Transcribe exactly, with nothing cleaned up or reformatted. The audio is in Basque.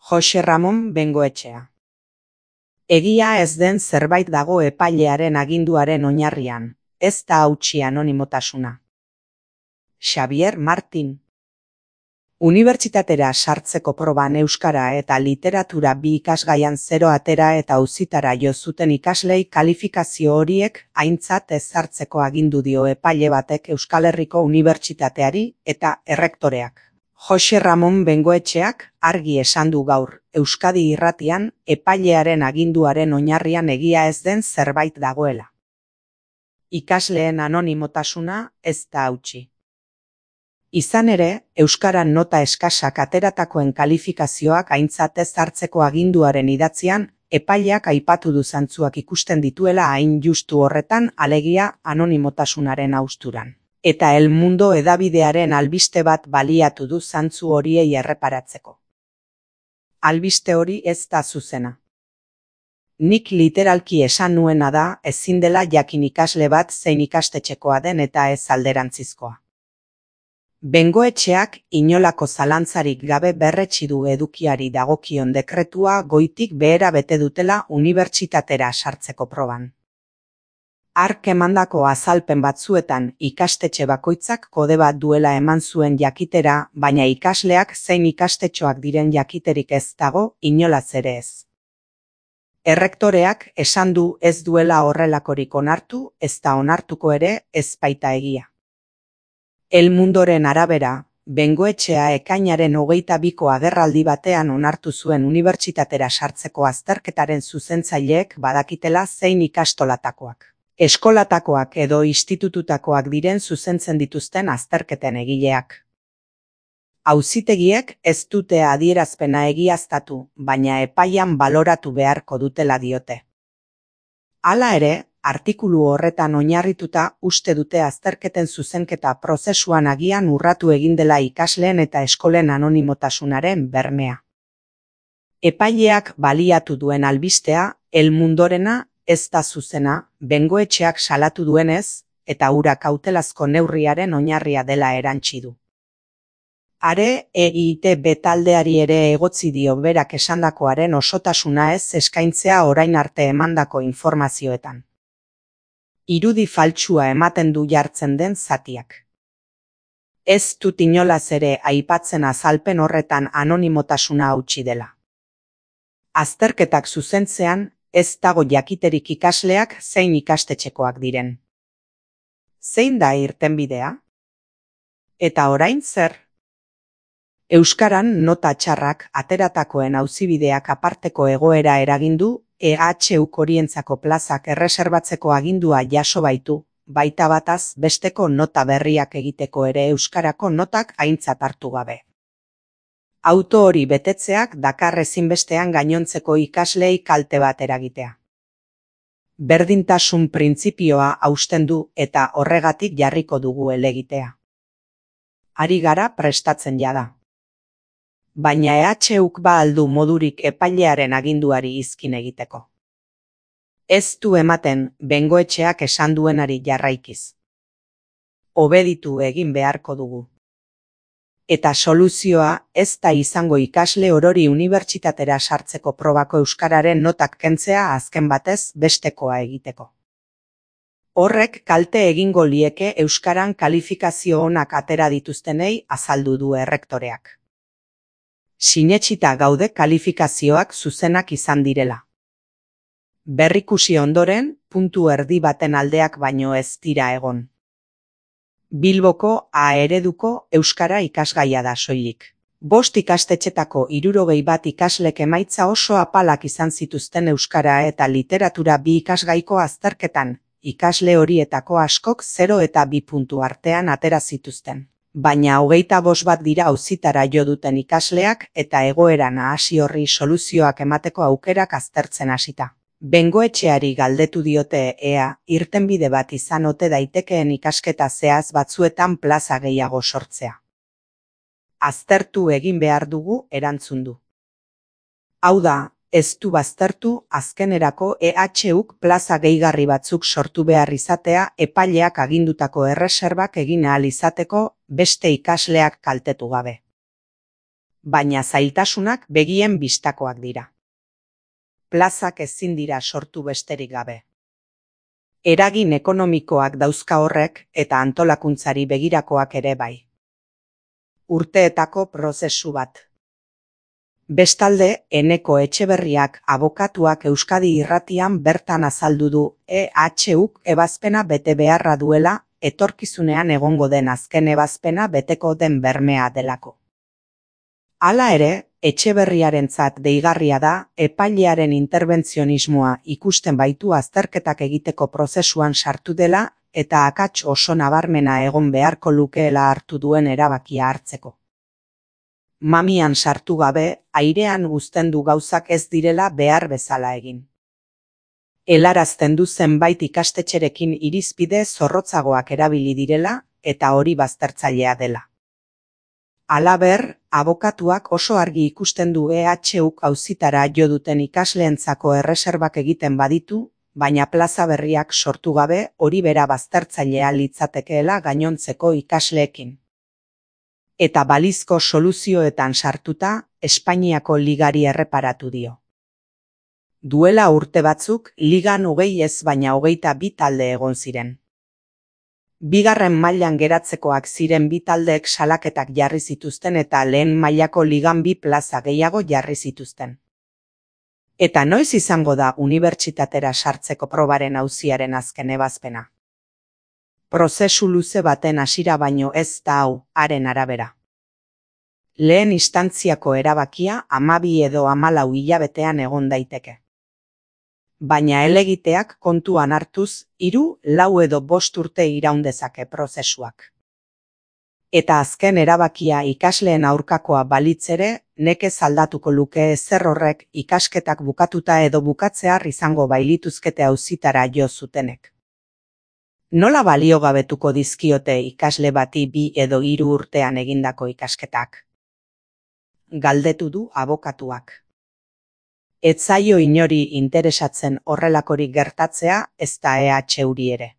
Jose Ramon Bengoetxea. Egia ez den zerbait dago epailearen aginduaren oinarrian, ez da hautsi anonimotasuna. Xavier Martin. Unibertsitatera sartzeko proban euskara eta literatura bi ikasgaian zero atera eta auzitara jo zuten ikaslei kalifikazio horiek aintzat ez hartzeko agindu dio epaile batek Euskal Herriko Unibertsitateari eta errektoreak. Jose Ramon Bengoetxeak argi esan du gaur Euskadi Irratian epailearen aginduaren oinarrian egia ez den zerbait dagoela. Ikasleen anonimotasuna ez da hautsi. Izan ere, euskaran nota eskasak ateratakoen kalifikazioak aintzat ez hartzeko aginduaren idatzian, epaileak aipatu du zantzuak ikusten dituela hain justu horretan alegia anonimotasunaren hausturan. Eta El Mundo hedabidearen albiste bat baliatu du zantzu horiei erreparatzeko. Albiste hori ez da zuzena. Nik literalki esan nuena da ezin dela jakin ikasle bat zein ikastetxekoa den eta ez alderantzizkoa. Bengoetxeak inolako zalantzarik gabe berretsi du edukiari dagokion dekretua goitik behera bete dutela unibertsitatera sartzeko proban. Hark emandako azalpen batzuetan ikastetxe bakoitzak kode bat duela eman zuen jakitera, baina ikasleak zein ikastetxoak diren jakiterik ez dago inolaz ere ez. Errektoreak esan du ez duela horrelakorik onartu, ez da onartuko ere ez baita egia. El Mundoren arabera, Bengoetxea ekainaren hogeita biko agerraldi batean onartu zuen unibertsitatera sartzeko azterketaren zuzentzaileek badakitela zein ikastolatakoak, eskolatakoak edo institututakoak diren zuzentzen dituzten azterketen egileak. Auzitegiek ez dute adierazpena egiaztatu, baina epaian baloratu beharko dutela diote. Hala ere, artikulu horretan oinarrituta uste dute azterketen zuzenketa prozesuan agian urratu egin dela ikasleen eta eskolen anonimotasunaren bermea. Epaileak baliatu duen albistea, El Mundorena ez da zuzena, Bengoetxeak salatu duenez, eta hura kautelazko neurriaren oinarria dela erantsi du. Are, E I T B taldeari ere egotzi dio berak esandakoaren osotasuna ez eskaintzea orain arte emandako informazioetan. Irudi faltsua ematen du jartzen den zatiak. Ez dut inolaz ere aipatzen azalpen horretan anonimotasuna hautsi dela. Azterketak zuzentzean, ez dago jakiterik ikasleak zein ikastetxekoak diren. Zein da irtenbidea? Eta orain zer? Euskaran nota txarrak ateratakoen auzibideak aparteko egoera eragindu, E H U horientzako plazak erreserbatzeko agindua jaso baitu, baita bataz besteko nota berriak egiteko ere euskarako notak aintzat hartu gabe. Auto hori betetzeak dakar ezinbestean gainontzeko ikaslei kalte bat eragitea. Berdintasun printzipioa hausten du eta horregatik jarriko dugu helegitea. Ari gara prestatzen jada. Baina E H Uk ba aldu modurik epailearen aginduari izkin egiteko. Ez du ematen Bengoetxeak esan duenari jarraikiz. Obeditu egin beharko dugu. Eta soluzioa ez da izango ikasle orori unibertsitatera sartzeko probako euskararen notak kentzea azken batez bestekoa egiteko. Horrek kalte egingo lieke euskaran kalifikazio onak atera dituztenei azaldu du errektoreak. Sinetsita gaude kalifikazioak zuzenak izan direla. Berrikusi ondoren, puntu erdi baten aldeak baino ez dira egon. Bilboko A ereduko euskara ikasgaia da soilik. Bost ikastetxetako hirurogei bat ikaslek emaitza oso apalak izan zituzten euskara eta literatura bi ikasgaiko azterketan, ikasle horietako askok zero eta bi puntu artean atera zituzten. Baina hogeita bost bat dira auzitara jo duten ikasleak eta egoera nahasi horri soluzioak emateko aukerak aztertzen hasita. Bengoetxeari galdetu diote ea irtenbide bat izan ote daitekeen ikasketa zehaz batzuetan plaza gehiago sortzea. Aztertu egin behar dugu erantzun du. Hau da, ez du baztertu azkenerako E H Uk plaza gehigarri batzuk sortu behar izatea epaileak agindutako erreserbak egin ahal izateko beste ikasleak kaltetu gabe. baina zailtasunak begien bistakoak dira. Plazak ezin dira sortu besterik gabe. Eragin ekonomikoak dauzka horrek eta antolakuntzari begirakoak ere bai. Urteetako prozesu bat. Bestalde, Eneko Etxeberriak abokatuak Euskadi Irratian bertan azaldu du E H Uk ebazpena bete beharra duela, etorkizunean egongo den azken ebazpena beteko den bermea delako. Hala ere, Etxeberriarentzat deigarria da epailearen interbentzionismoa ikusten baitu azterketak egiteko prozesuan sartu dela eta akats oso nabarmena egon beharko lukeela hartu duen erabakia hartzeko. Mamian sartu gabe, airean uzten du gauzak ez direla behar bezala egin. Helarazten du zenbait ikastetxerekin irizpide zorrotzagoak erabili direla eta hori baztertzailea dela. Halaber, abokatuak oso argi ikusten du E H Uk auzitara jo duten ikasleentzako erreserbak egiten baditu, baina plaza berriak sortu gabe hori bera baztertzailea litzatekeela gainontzeko ikasleekin. Eta balizko soluzioetan sartuta, Espainiako ligari erreparatu dio. Duela urte batzuk, ligan hogei ez baina hogeita bi talde egon ziren. Bigarren mailan geratzekoak ziren bi taldeek salaketak jarri zituzten eta lehen mailako ligan bi plaza gehiago jarri zituzten. Eta noiz izango da unibertsitatera sartzeko probaren auziaren azken ebazpena? Prozesu luze baten hasiera baino ez da hau, haren arabera. Lehen instantziako erabakia hamabi edo hamalau hilabetean egon daiteke. Baina helegiteak kontuan hartuz, hiru, lau edo bost urte iraun dezake prozesuak. Eta azken erabakia ikasleen aurkakoa balitz ere, nekez aldatuko luke ezer horrek ikasketak bukatuta edo bukatzear izango bailituzkete auzitara jo zutenek. Nola baliogabetuko dizkiote ikasle bati bi edo hiru urtean egindako ikasketak? Galdetu du abokatuak. Ez zaio inori interesatzen horrelakorik gertatzea, ez da E H Uri ere.